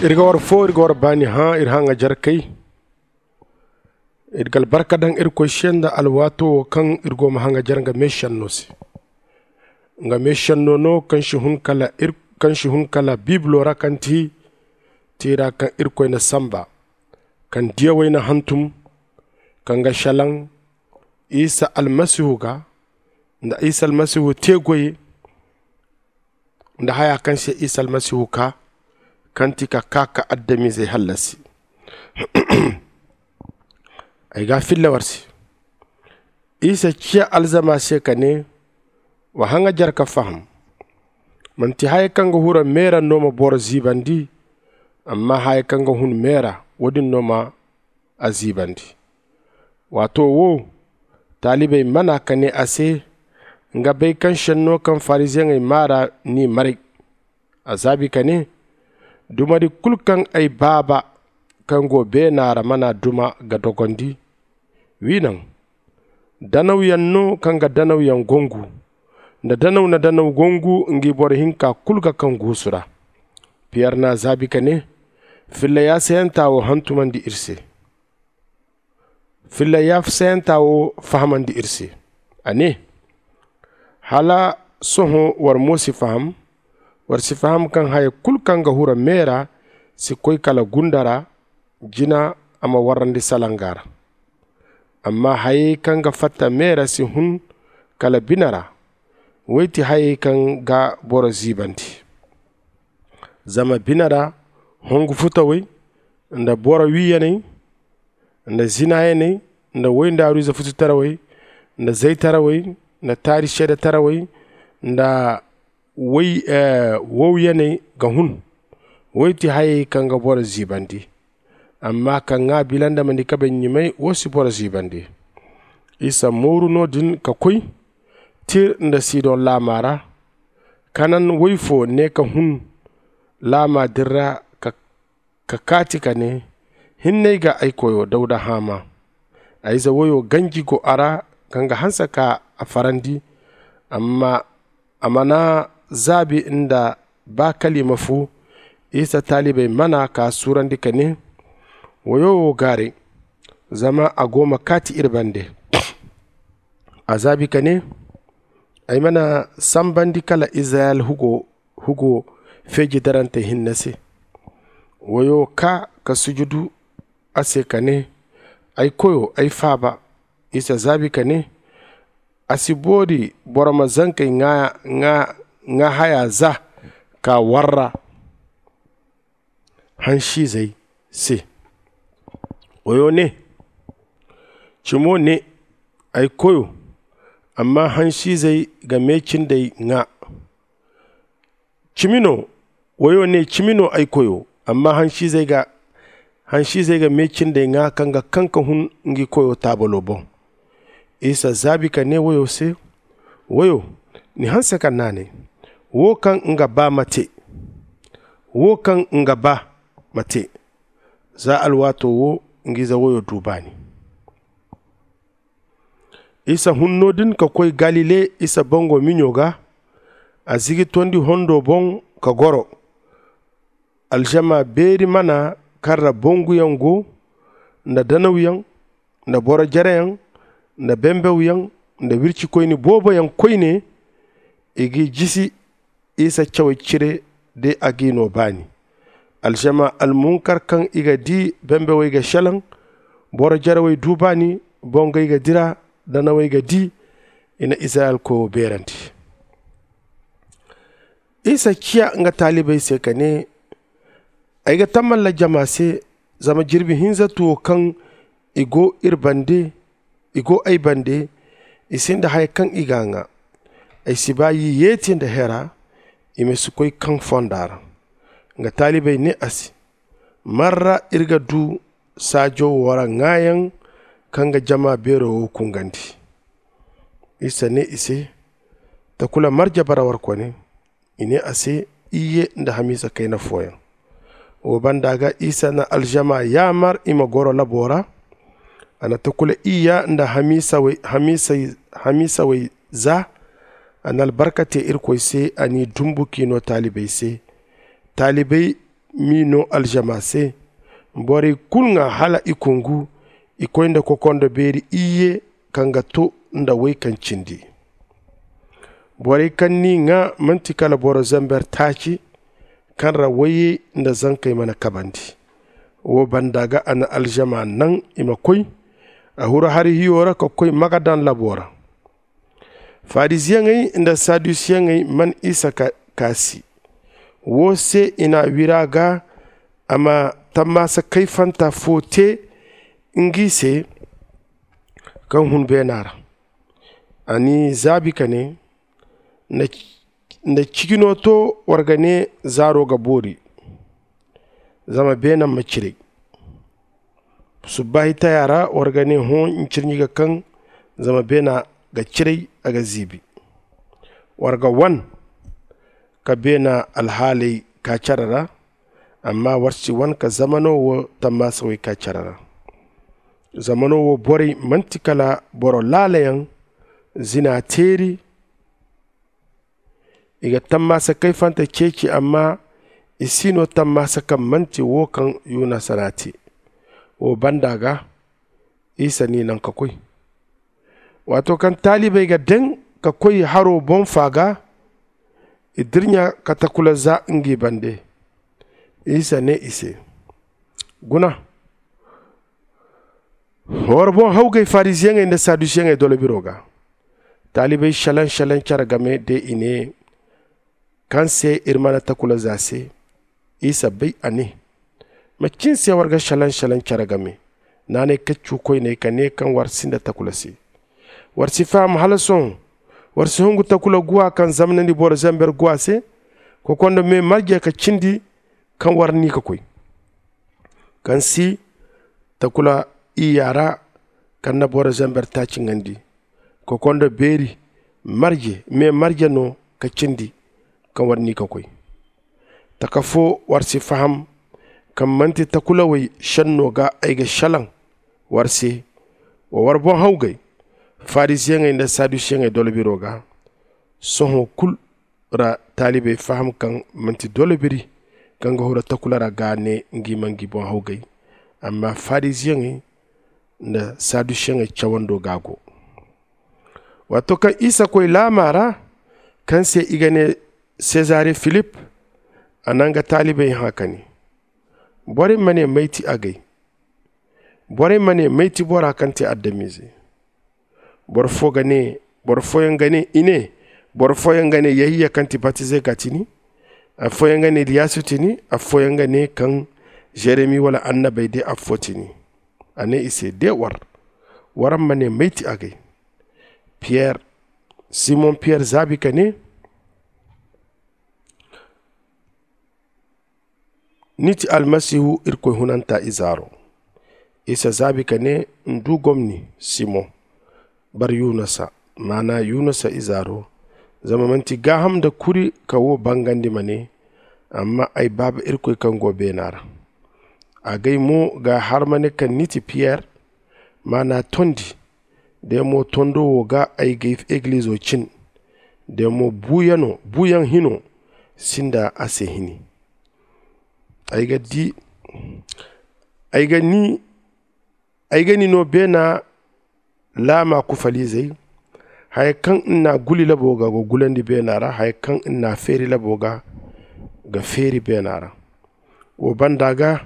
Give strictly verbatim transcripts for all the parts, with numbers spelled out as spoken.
Iri ga war fo, iri ga war baani hã iri haŋajarkey. Iri ga albarka daŋ irkoy se nda alwaato wo kaŋ iri go ma haŋajar nga meešenno se. Nga meešenno no kaŋ si hun kala ir kaŋ si hun kala biibilo ra kaŋ ti tiira kaŋ irkoy na samba, kaŋ diyawey na hantum, kaŋ ga šelaŋ isa almasihu ga, nda isa almasihu te goy nda haya kaŋ se isa almasihu kaa, kaŋ ti ka kaa ka adamizey hallasi. Ay ga a filla war se. Isa ciya alzama se ka ne, wa haŋajar ka faham. Manti haya kaŋ ga hura me ra no ma boro ziibandi, amma haya kaŋ ga hun me ra, wo- din no ma a ziibandi. Waato wo, taalibey mana ka ne a se, nga bay kaŋ šenno kaŋ fariziyeŋey maa ra n'i maray. A zaabi ka ne, dumari kulu kaŋ ay baaba kaŋ go beena ra mana duma ga dogondi. Wi naŋ, danawyaŋ no kaŋ ga danawyaŋ gongu, nda danaw na danaw gongu ngi boro hinka kulu ga kaŋ guusu ra. Piyer n'a zaabi ka ne, filla yaasayanta wo hantumandi iri se. Filla yaasayanta wo fahamandi iri se. A ne, hala sohõ war mo si faham? War si faham kaŋ haya kulu kaŋ ga hura me ra si koy kala gunda ra, jina a ma warrandi salanga ra. Amma hayey kaŋ ga fatta me ra si hun kala bine ra. Wey ti hayey kaŋ ga boro ziibandi. Zama bine ra hongu futawey, nda boro wiiyaney, nda zinaayaney, nda woy nda aruuza fututarawey, nda zaytarawey, nda taari seedetarawey, nda woy wowyaney ga hun. Wey ti hayey kaŋ ga boro ziibandi. Amma ka ŋaa bilandamandi kabe ɲumay wo si boro ziibandi. Isa mooru no- din ka koy tir nda sidon laama ra. Kanan woy fo ne ka hun laama din ra ka kaati ka ne, hinne ay ga ay koyo dawda haama. A ize woyo ganji go a ra, kaŋ ga hanse ka a farandi. Amma a mana zaabi nda ba kalima fu. Isa taalibey mana ka suurandi ka ne, woyo wo gaaray, zama a go ma kaati iri bande. A zaabi ka ne, ay mana sambandi kala izirayel hugo feeji darantey hinne se. Woyo kaa ka sujudu a se ka ne, ay koyo, ay faaba. Isa zaabi ka ne, a si boori boro ma zankey ŋaa haya za ka warra hansiizey se. Woyo ne, cimo ne, ay koyo, amma hansiizey ga meecindey ŋaa. Cimi no, woyo ne, cimi no, ay koyo, amma hansiizey ga meecindey ŋaa kaŋ ga kaŋ ka hun ngi koyo taabalo boŋ. Isa zaabi ka ne woyo se, woyo, ni hanse ka naanay. Wo kaŋ nga ba ma te. Wo kaŋ nga ba ma te. Za alwaato wo, ngiize woyo du baani. Isa hun no- din ka koy galile isa bango miɲo ga. A zigi tondi hondo boŋ ka goro. Alžama beeri mana kaŋ ra banguyaŋ go, nda danawyaŋ, nda boro jereyaŋ, nda bembewyaŋ, nda wircikoyne booboyaŋ koyne. I g'i jisi isa cawey cire de a g'i no baani. Alžama almunkar kaŋ i ga di bembewey ga šelaŋ. Boro jerewey du baani. Bongey ga dira. Danawey ga di. I na izirayel koyo beerandi. Isa ciya nga taalibey se ka ne, ay ga tamalla jama se, zama jirbi hinzatu wo kaŋ i go iri bande, i go ay bande, i sinda haya kaŋ i g'a ŋaa. Ay si ba yiyeeti nda hera i ma si koy kaŋ fonda ra. Nga taalibey ne a se, man ra iri ga du saajo wo ra ŋaayaŋ kaŋ ga jama beero wo kungandi? Isa ne i se, takula marje bara warkone? I ne a se, iyye nda hamiisa kayna fooyaŋ. Wo banda ga isa na alžama yaamar i ma goro labo ra. A na takula iyya nda hamiisawey za. A na albarka te irkoy se a n'i dumbu k'i no taalibey se. Taalibey m'i no alžama se. Borey kulu ŋwa hala i kungu, i koy nda kokondo beeri iyye kaŋ ga to nda way kaŋ cindi. Borey kaŋ n'i ŋwa manti kala boro zamber taaci kaŋ ra wayey nda zankey mana kabandi. Wo banda ga a na alžama naŋ i ma koy a huru hari hiyo ra ka koy magadan labo ra. Fariziyeŋey nda sadusiyeŋey man isa ka kaasi. Wo se i n'a wira ga a ma tammaasa kayfanta fo te ngi se kaŋ hun beena ra. A n'i zaabi ka ne, nda ciji no to war ga ne zaaro ga boori, zama beena ma ciray. Subbaahi taya ra war ga ne hõ ncirɲi ga kaŋ, zama beena ga ciray a ga ziibi. War ga wan ka beena alhaaley kaa care ra, amma war si wan ka zamano wo tammaasawey kaa care ra. Zamano wo borey manti kala boro laalayaŋ, zina teeri. I ga tammaasa kayfante ceeci, amma i si no tammaasa kaŋ manti wo kaŋ yunasa n'a te. Wo banda ga isa n'i naŋ ka koy. Waato kaŋ taalibey ga daŋ ka koy haro boŋ fa ga, i dirɲa ka takula za ngi bande. Isa ne i se, guna, war boŋ hawgay fariziyeŋey nda sadusiyeŋey dolo biro ga. Taalibey šalaŋ-šalaŋ care game de i ne, kaŋ se iri mana takula za se? Isa bay a ne, macin se war ga šalaŋ-šalaŋ care game? Naanay kaccu koyney ka ne kaŋ war sinda takula se. War si faham hala sohõ? War si hungu takula guwa kaŋ zamnandi boro zamber guwa se, kokondo me marje ka cindi kaŋ war ni ka koy, kaŋ si takula iyya ra kaŋ na boro zamber taaci ŋandi, kokondo beeri marje me marje no ka cindi kaŋ war ni ka koy. Taka fo war si faham kaŋ manti takulawey šenno ga ay ga šelaŋ war se? Wa war boŋ hawgay, fariziyeŋey nda sadusiyeŋey dolo biro ga. Sohõ kulu ra taalibey faham kaŋ manti dolo biri kaŋ ga huru takula ra ga ne ngi ma ngi boŋ hawgay, amma fariziyeŋey nda sadusiyeŋey cawando ga go. Waato kaŋ isa koy laama ra kaŋ se i ga ne sezare filip, a na nga taalibey hã ka ne, borey ma ne may ti agay? Borey ma ne may ti bora kaŋ ti adamize? Boro fo ga ne, boro fooyaŋ ga ne i ne, boro fooyaŋ ga ne yahiya kaŋ ti batizey ga ti ni, afooyaŋ ga ne iliyasu ti ni, afooyaŋ ga ne kaŋ jeremi wala annabey de affo ti ni. A ne i se, de war, waraŋ ma ne may ti agay? Piyer, simon piyer zaabi ka ne, ni ti almasihu irkoy hunanta izaaro. Isa zaabi ka ne, n'du gomni simon, bar yunasa, maana yunasa izaaro. Zama manti gaaham nda kuri ka wo bangandi ma ne, amma ay baaba irkoy kaŋ go beena ra. Agay mo ga har ma ne kaŋ ni ti piyer, maana tondi. De mo tondo wo ga ay ga egilizo cin, de mo buuyaŋ hino sinda a se hini. Ay ga di ay ga ni ay ga ni no beena laama kufalizey. Haya kaŋ n'na guli labo ga ga gulandi beena ra, haya kaŋ n'na feeri labo ga ga feeri beena ra. Wo banda ga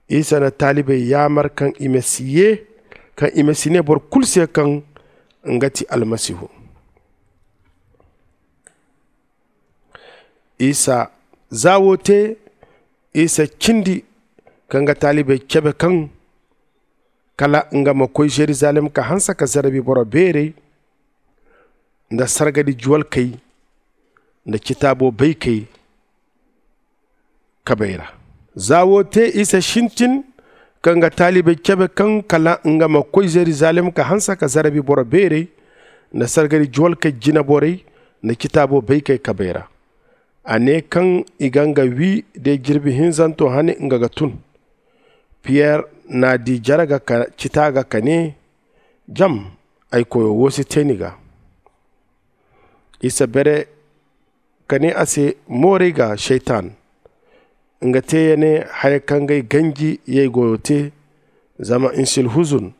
isa na taalibey yaamar kaŋ i ma si ye kaŋ i ma si ne boro kulu se kaŋ nga ti almasihu. Isa za wo te, isa cindi ka nga taalibey cabe kaŋ kala nga ma koy zerizalem ka hanse ka zarabi boro beerey nda sargadi juwalkey nda citaabo baykey kabey ra. Za wo te isa sintin ka nga taalibey cabe kaŋ kala nga ma koy zerizalem ka hanse ka zarabi boro beerey nda sargari juwalkey jinaborey nda citaabo baykey kabey ra. A ne kaŋ i ga nga wi de jirbi hinzanto hane nga ga tun. Piyer n'a di jare ga ka cita ga ka ne, jam, ay koyo wo si te ni ga. Isa bere ka ne a se, mooray ga, saytan. nga te ya ne haya kaŋ gay ganji yay goyo te. Zama nsil huzun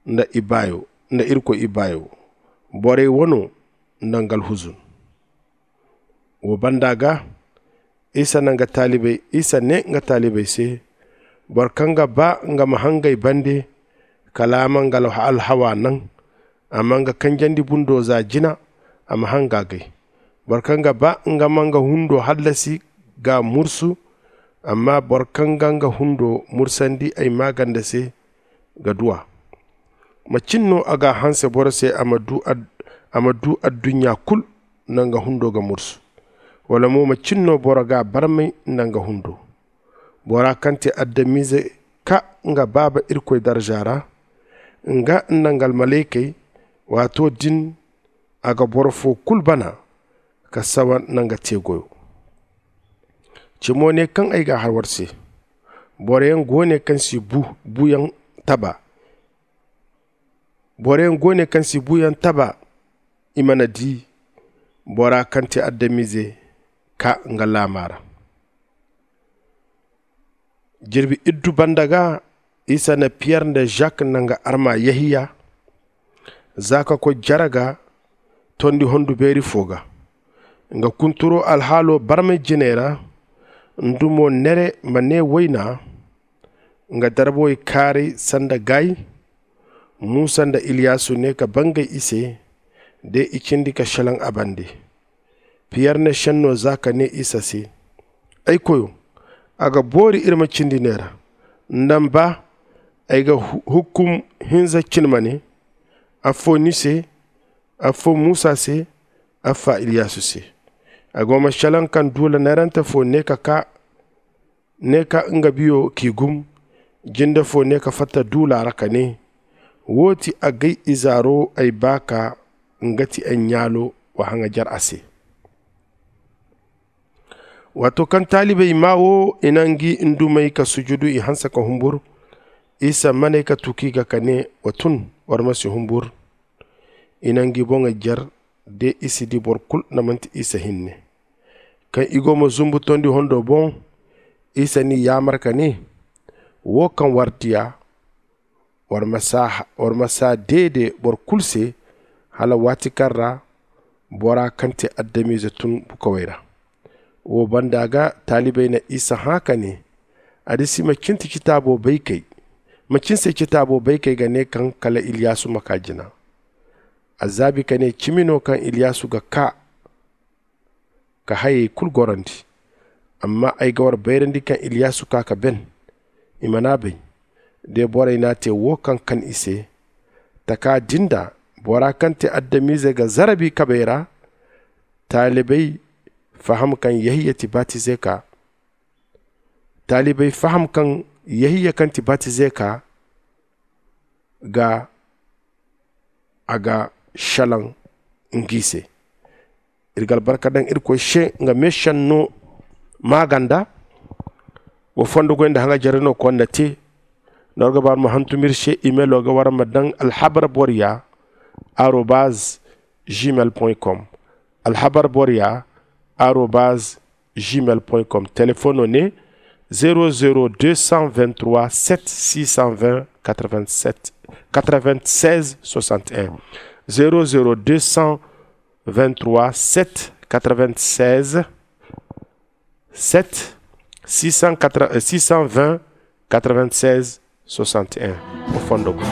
nda ibaayo nda irkoy ibaayo borey wano nda ngal huzun. Wo banda ga isa ne nga taalibey se, boro kaŋ ga ba nga ma hangay bande kala a ma nga alhawa naŋ, a ma nga kanjandi bundo za jina, a ma hanga gay. Boro kaŋ ga ba nga ma nga hundo hallasi ga mursu, amma boro kaŋ ga nga hundo mursandi ay maaganda se ga du a. Macin no a ga hanse boro se a ma du adduɲɲa kulu nda nga hundo ga mursu? Wala mo macin no boro ga barmay nda nga hundo? Bora kaŋ te adamize ka nga baaba irkoy darza ra, nga nda nga almalaykey, waato din a ga boro fo kulu bana ka sawa nda nga te goyo. Cimo ne kaŋ ay ga a har war se, boroyaŋ go ne kaŋ si buyaŋ taba. Boroyaŋ go ne kaŋ si buyaŋ taba i mana di bora kaŋ te adamize ka nga laama ra. Jirbi iddu banda ga isa na piyer nda zak nda nga arma yahiya za ka koy jare ga tondi hondu beeri fo ga. Nga kunturo alhaalo barmay jinay ra ndumo nere ma ne wayna. Nga darbawey kaaray sanda gaay. Musa nda iliyasu ne ka bangay i se de i cindi ka selaŋ a bande. Piyer na senno za ka ne isa se, ay koyo, a ga boori iri ma cindi neera. Nda ni ba ay ga hukkum hinza cine ma ne, affo ni se, affo musa se, affa iliyasu se. A go ma selaŋ kaŋ duula neerante fo ne ka ka ne ka nga biyo k'i gum. Jinde fo ne ka fatta duula ra ka ne, wo ti a gay izaaro ay ba ka nga ti ay ɲaalo. Wa haŋajer a se. Waato kaŋ taalibey maa wo i na ngi ndumey ka sujudu i hanse ka humbur. Isa maney ka tuki ga ka ne, wa tun, war ma si humbur. I na ngi boŋey jer de i si di boro kulu nda manti isa hinne. Kaŋ i go ma zumbu tondi hondo boŋ, isa n'i yaamar ka ne, wo kaŋ war diya, war ma saa deede boro kulu se, hala waati kaŋ ra bora kaŋ te adamize tun bukawey ra. Wo banda ga taalibey na isa hã ka ne, adisi macin se citaabo baykey ga ne kaŋ kala iliyasu ma ka jina? A zaabi ka ne, cimi no kaŋ iliyasu ga ka ka hayey kulu gorandi. Amma ay ga war bayrandi kaŋ iliyasu ka ka ben. I mana bay de borey n'a te wo kaŋ kan i se. Taka din da bora kaŋ te adamize ga zarabi kabey ra. Taalibey faham kaŋ yahiya ti batize ka taalibey faham kaŋ yahiya kaŋ ti batize ka ga a ga selaŋ ngi se. Iri ga albarka daŋ irkoy se nga meesenno maaganda. Wa fondo goy nda haŋajerey no konda te. Nda war ga ba war ma hantum iri se, imelo ga war ma daŋ alhabar boriya arobaz gmail com. Alhabar boriya arobaz gmail com. Telefono ne zero zero deux cent vingt trois sept six cent vingt quatre vingt sept quatre vingt seize soixante et un. Zero zero deux cent vingt trois sept quatre vingt seize sept six cent quatre six cent vingt quatre vingt seize soixante et un. O fondo go.